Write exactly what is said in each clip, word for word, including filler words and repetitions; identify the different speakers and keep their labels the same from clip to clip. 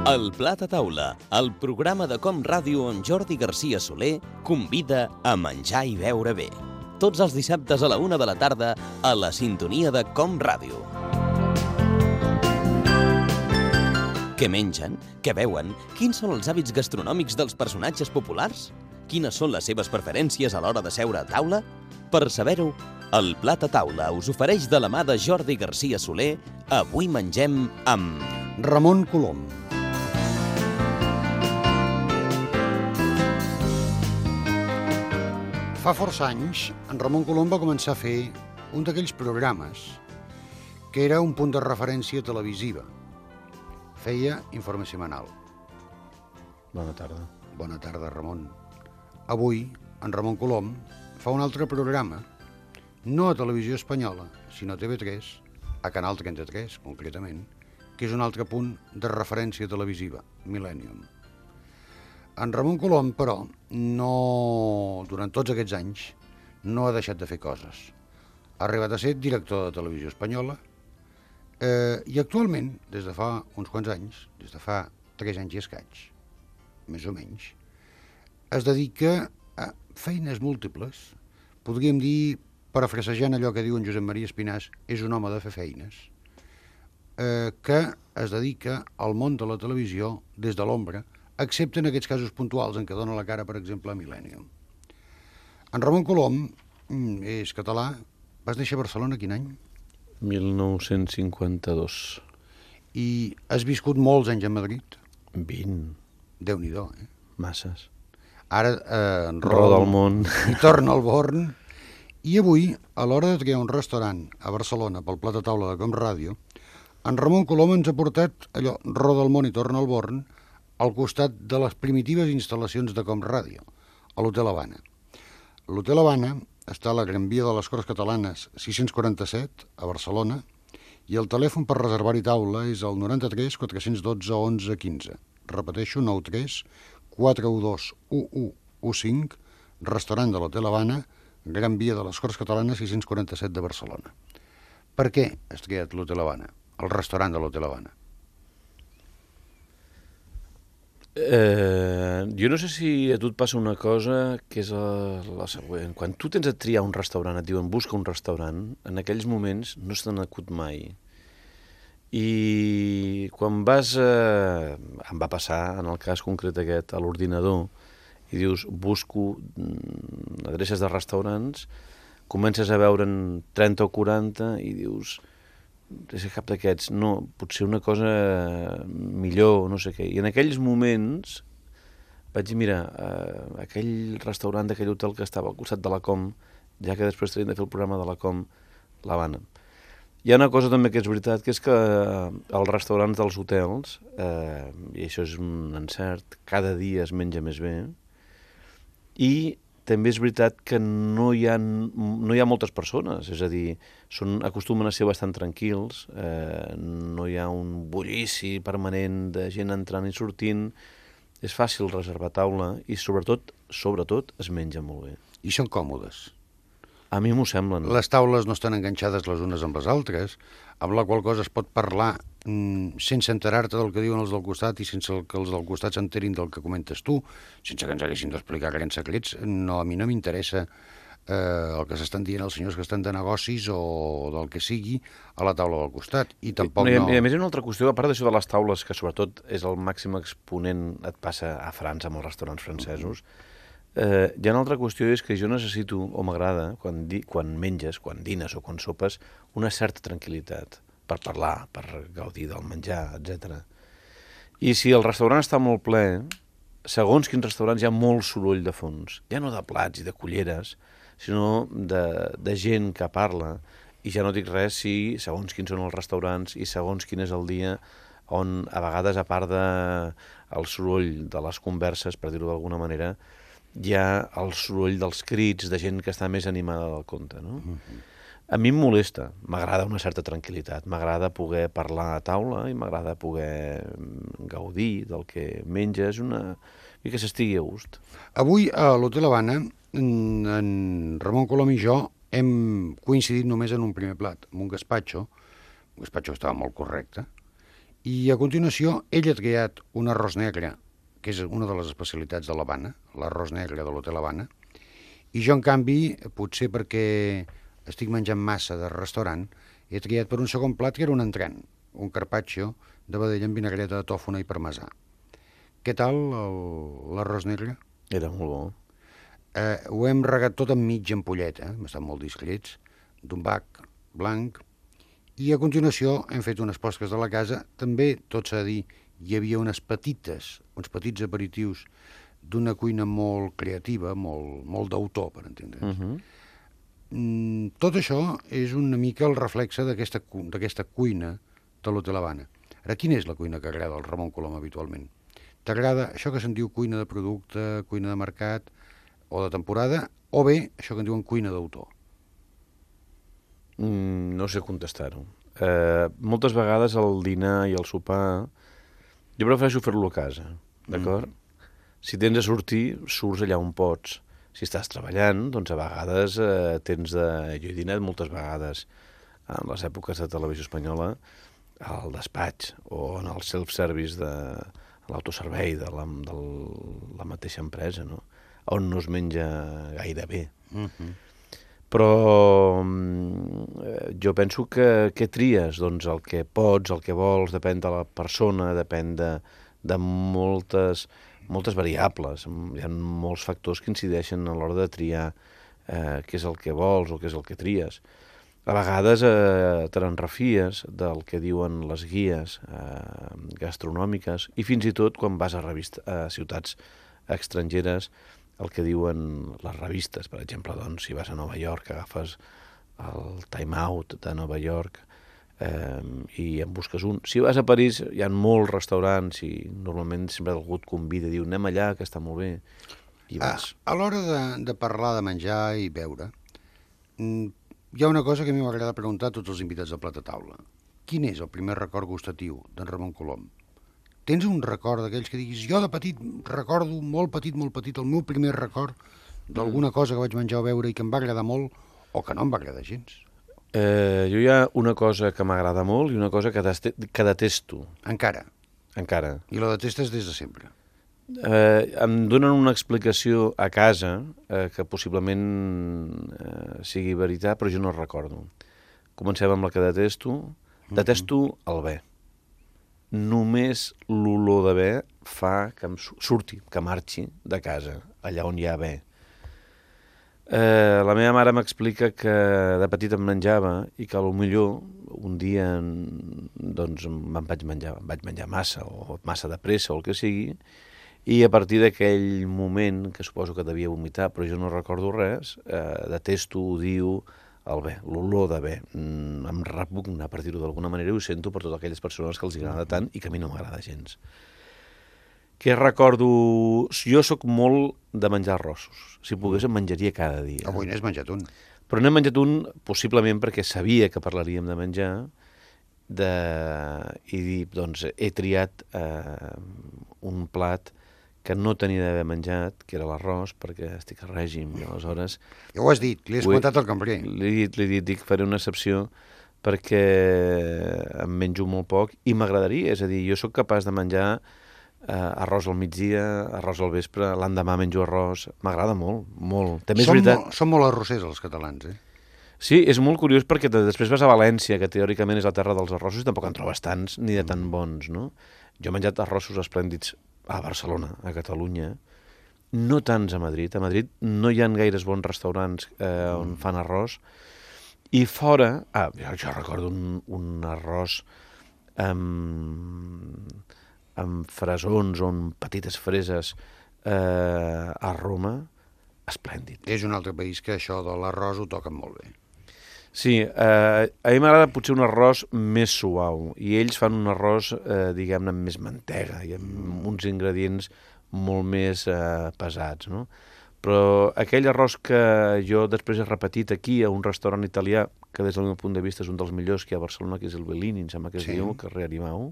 Speaker 1: El Plat a Taula, el programa de Com Ràdio on Jordi Garcia Soler convida a menjar i beure bé. Tots els dissabtes a la una de la tarda a la sintonia de Com Ràdio. Què mengen? Què beuen? Quins són els hàbits gastronòmics dels personatges populars? Quines són les seves preferències a l'hora de seure a taula? Per saber-ho, el Plat a Taula us ofereix de la mà de Jordi Garcia Soler. Avui mengem amb
Speaker 2: Ramon Colom. Fa força anys, en Ramon Colom va començar a fer un d'aquells programes que era un punt de referència televisiva. Feia informe setmanal.
Speaker 3: Bona tarda.
Speaker 2: Bona tarda, Ramon. Avui, en Ramon Colom fa un altre programa, no a Televisió Espanyola, sinó a T V tres, a Canal trenta-tres, concretament, que és un altre punt de referència televisiva, Millennium. En Ramon Colom, però, no, durant tots aquests anys, no ha deixat de fer coses. Ha arribat a ser director de Televisió Espanyola eh, i actualment, des de fa uns quants anys, des de fa tres anys i escaig, més o menys, es dedica a feines múltiples. Podríem dir, parafrasejant allò que diu en Josep Maria Espinàs, és un home de fer feines, eh, que es dedica al món de la televisió des de l'ombra, excepte en aquests casos puntuals en què dona la cara, per exemple, a Millennium. En Ramon Colom és català. Vas néixer a Barcelona quin any?
Speaker 3: mil nou-cents cinquanta-dos.
Speaker 2: I has viscut molts anys a Madrid?
Speaker 3: vint.
Speaker 2: Déu-n'hi-do, eh?
Speaker 3: Masses.
Speaker 2: Ara eh, en
Speaker 3: roda el món.
Speaker 2: I torna al Born. I avui, a l'hora de triar un restaurant a Barcelona pel Plat a Taula de Com Ràdio, en Ramon Colom ens ha portat allò, roda el món i torna al Born, al costat de les primitives instal·lacions de Com Ràdio, a l'Hotel Habana. L'Hotel Habana està a la Gran Via de les Corts Catalanes sis-cents quaranta-set, a Barcelona, i el telèfon per reservar-hi taula és el noranta-tres quatre-cents dotze onze quinze. Repeteixo, noranta tres quatre u dos u u u cinc, restaurant de l'Hotel Habana, Gran Via de les Corts Catalanes sis-cents quaranta-set de Barcelona. Per què has triat l'Hotel Habana, el restaurant de l'Hotel Habana?
Speaker 3: Eh, jo no sé si a tu et passa una cosa que és la, la següent. Quan tu tens a triar un restaurant, et diuen busca un restaurant, en aquells moments no se t'han acut mai. I quan vas, eh, em va passar, en el cas concret aquest, a l'ordinador, i dius busco adreces de restaurants, comences a veure'n trenta o quaranta i dius és cap d'aquests, no, potser una cosa millor, no sé què. I en aquells moments vaig dir, mira, eh, aquell restaurant d'aquell hotel que estava al costat de la Com, ja que després tenim de fer el programa de la Com, l'Havana. Hi ha una cosa també que és veritat, que és que els restaurants dels hotels, eh, i això és un encert, cada dia es menja més bé, i també és veritat que no hi ha, no hi ha moltes persones, és a dir, són, acostumen a ser bastant tranquils, eh, no hi ha un bullici permanent de gent entrant i sortint, és fàcil reservar taula i sobretot, sobretot, es menja molt bé.
Speaker 2: I són còmodes?
Speaker 3: A mi m'ho semblen.
Speaker 2: Les taules no estan enganxades les unes amb les altres, amb la qual cosa es pot parlar mm, sense enterar-te del que diuen els del costat i sense que els del costat s'enterin del que comentes tu, sense que ens haguessin d'explicar grans secrets. No, a mi no m'interessa eh, el que s'estan dient els senyors que estan de negocis o del que sigui a la taula del costat. I tampoc
Speaker 3: no... I a,
Speaker 2: no...
Speaker 3: I a més hi ha una altra qüestió, a part d'això de les taules, que sobretot és el màxim exponent, et passa a França amb els restaurants francesos, Eh, hi ha una altra qüestió, és que jo necessito, o m'agrada, quan, di, quan menges, quan dines o quan sopes, una certa tranquil·litat per parlar, per gaudir del menjar, etcètera. I si el restaurant està molt ple, segons quins restaurants hi ha molt soroll de fons, ja no de plats i de culleres, sinó de, de gent que parla, i ja no dic res si, segons quins són els restaurants i segons quin és el dia, on a vegades, a part del soroll de les converses, per dir-ho d'alguna manera, hi ha el soroll dels crits de gent que està més animada del compte, no? Uh-huh. A mi em molesta, m'agrada una certa tranquil·litat, m'agrada poder parlar a taula i m'agrada poder gaudir del que menges, una... i que s'estigui a gust.
Speaker 2: Avui a l'Hotel Habana, en, en Ramon Colom i jo hem coincidit només en un primer plat, amb un gaspatxo, un gaspatxo que estava molt correcte, I a continuació, ell ha triat un arròs negre, que és una de les especialitats de l'Havana, l'arròs negre de l'Hotel Havana, i jo, en canvi, potser perquè estic menjant massa de restaurant, he triat per un segon plat que era un entrant, un carpaccio de vedella amb vinagreta de tòfona i parmesà. Què tal l'arròs negre?
Speaker 3: Era molt bo.
Speaker 2: Eh, ho hem regat tot amb mitja ampolleta, hem estat molt discrets, d'un bac blanc, i a continuació hem fet unes posques de la casa. També, tot s'ha de dir, hi havia unes petites, uns petits aperitius d'una cuina molt creativa, molt, molt d'autor, per entendre's. Uh -huh. mm, tot això és una mica el reflexe d'aquesta d'aquesta cuina de l'Hotel Havana. Ara, quina és la cuina que agrada al Ramon Colom habitualment? T'agrada això que se'n diu cuina de producte, cuina de mercat o de temporada, o bé això que en diuen cuina d'autor?
Speaker 3: Mm, no sé contestar-ho. Eh, moltes vegades el dinar i el sopar jo prefereixo fer-lo a casa, d'acord? Mm. Si tens a sortir, surts allà on pots. Si estàs treballant, doncs a vegades eh, tens de... Jo he dinat moltes vegades en les èpoques de Televisió Espanyola al despatx o en el self-service de l'autoservei de, la, de la mateixa empresa, no? On no es menja gaire bé. Mm-hmm. Però eh, jo penso que què tries? Doncs el que pots, el que vols, depèn de la persona, depèn de, de moltes, moltes variables. Hi ha molts factors que incideixen a l'hora de triar eh, què és el que vols o què és el que tries. A vegades eh, te n'enrefies del que diuen les guies eh, gastronòmiques i fins i tot quan vas a, revista, a ciutats estrangeres el que diuen les revistes. Per exemple, doncs, si vas a Nova York, agafes el Time Out de Nova York eh, i en busques un. Si vas a París, hi ha molts restaurants i normalment sempre algú et convida i diu anem allà, que està molt bé, i vas.
Speaker 2: Ah, a l'hora de, de parlar de menjar i beure, hi ha una cosa que a mi m'agrada preguntar a tots els invitats del Plat a Taula. Quin és el primer record gustatiu d'en Ramon Colom? Tens un record d'aquells que diguis, jo de petit recordo, molt petit, molt petit, el meu primer record d'alguna cosa que vaig menjar o beure i que em va agradar molt o que no em va agradar gens?
Speaker 3: Eh, jo hi ha una cosa que m'agrada molt i una cosa que, deste, que detesto.
Speaker 2: Encara?
Speaker 3: Encara.
Speaker 2: I la detestes des de sempre?
Speaker 3: Eh, em donen una explicació a casa eh, que possiblement eh, sigui veritat, però jo no recordo. Comencem amb la que detesto. Detesto el bé. Només l'olor de bé fa que em surti, que marxi de casa, allà on hi ha bé. Eh, la meva mare m'explica que de petit em menjava i que potser un dia doncs, em vaig menjar, em vaig menjar massa o massa de pressa o el que sigui, i a partir d'aquell moment, que suposo que devia vomitar, però jo no recordo res, eh, detesto, odio el bé, l'olor de bé. Mm, em repugna, per dir-ho d'alguna manera, i ho sento per totes aquelles persones que els agrada tant i que a mi no m'agrada gens. Què recordo? Jo sóc molt de menjar arrossos. Si pogués em menjaria cada dia.
Speaker 2: Avui n'has menjat un.
Speaker 3: Però n'he menjat un possiblement perquè sabia que parlaríem de menjar de... i doncs he triat eh, un plat que no tenia d'haver menjat, que era l'arròs, perquè estic a règim, i aleshores...
Speaker 2: Ja ho has dit, li has comentat al cambrer.
Speaker 3: Li he dit, li he dit, dic, faré una excepció perquè em menjo molt poc i m'agradaria, és a dir, jo sóc capaç de menjar eh, arròs al migdia, arròs al vespre, l'endemà menjo arròs, m'agrada molt, molt. També és
Speaker 2: som,
Speaker 3: veritat...
Speaker 2: molt, som molt arrossers els catalans, eh?
Speaker 3: Sí, és molt curiós perquè després vas a València, que teòricament és la terra dels arrossos, i tampoc en trobes tants ni de tan bons, no? Jo he menjat arrossos esplèndids a Barcelona, a Catalunya, no tants a Madrid. A Madrid no hi ha gaires bons restaurants eh, on fan arròs. I fora... Ah, jo, jo recordo un, un arròs amb, amb fresons o amb petites freses eh, a Roma, esplèndid.
Speaker 2: És un altre país que això de l'arròs ho toquen molt bé.
Speaker 3: Sí, eh, a mi m'agrada potser un arròs més suau, i ells fan un arròs, eh, diguem-ne, amb més mantega i amb uns ingredients molt més eh, pesats, no? Però aquell arròs que jo després he repetit aquí a un restaurant italià, que des del meu punt de vista és un dels millors que hi ha a Barcelona, que és el Bellini, em sembla que es sí. diu, al carrer Arimau,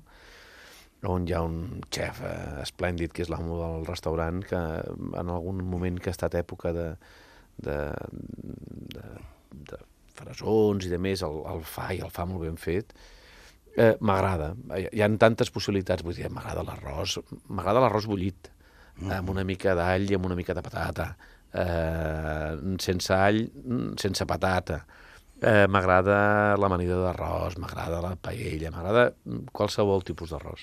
Speaker 3: on hi ha un xef eh, esplèndid, que és l'amo del restaurant, que en algun moment que ha estat època de... de, de, de fresons i de més, el, el fa i el fa molt ben fet. Eh, m'agrada. Hi ha tantes possibilitats. Vull dir, m'agrada l'arròs. M'agrada l'arròs bullit, mm. amb una mica d'all i amb una mica de patata. Eh, sense all, sense patata. Eh, m'agrada l'amanida d'arròs, m'agrada la paella, m'agrada qualsevol tipus d'arròs.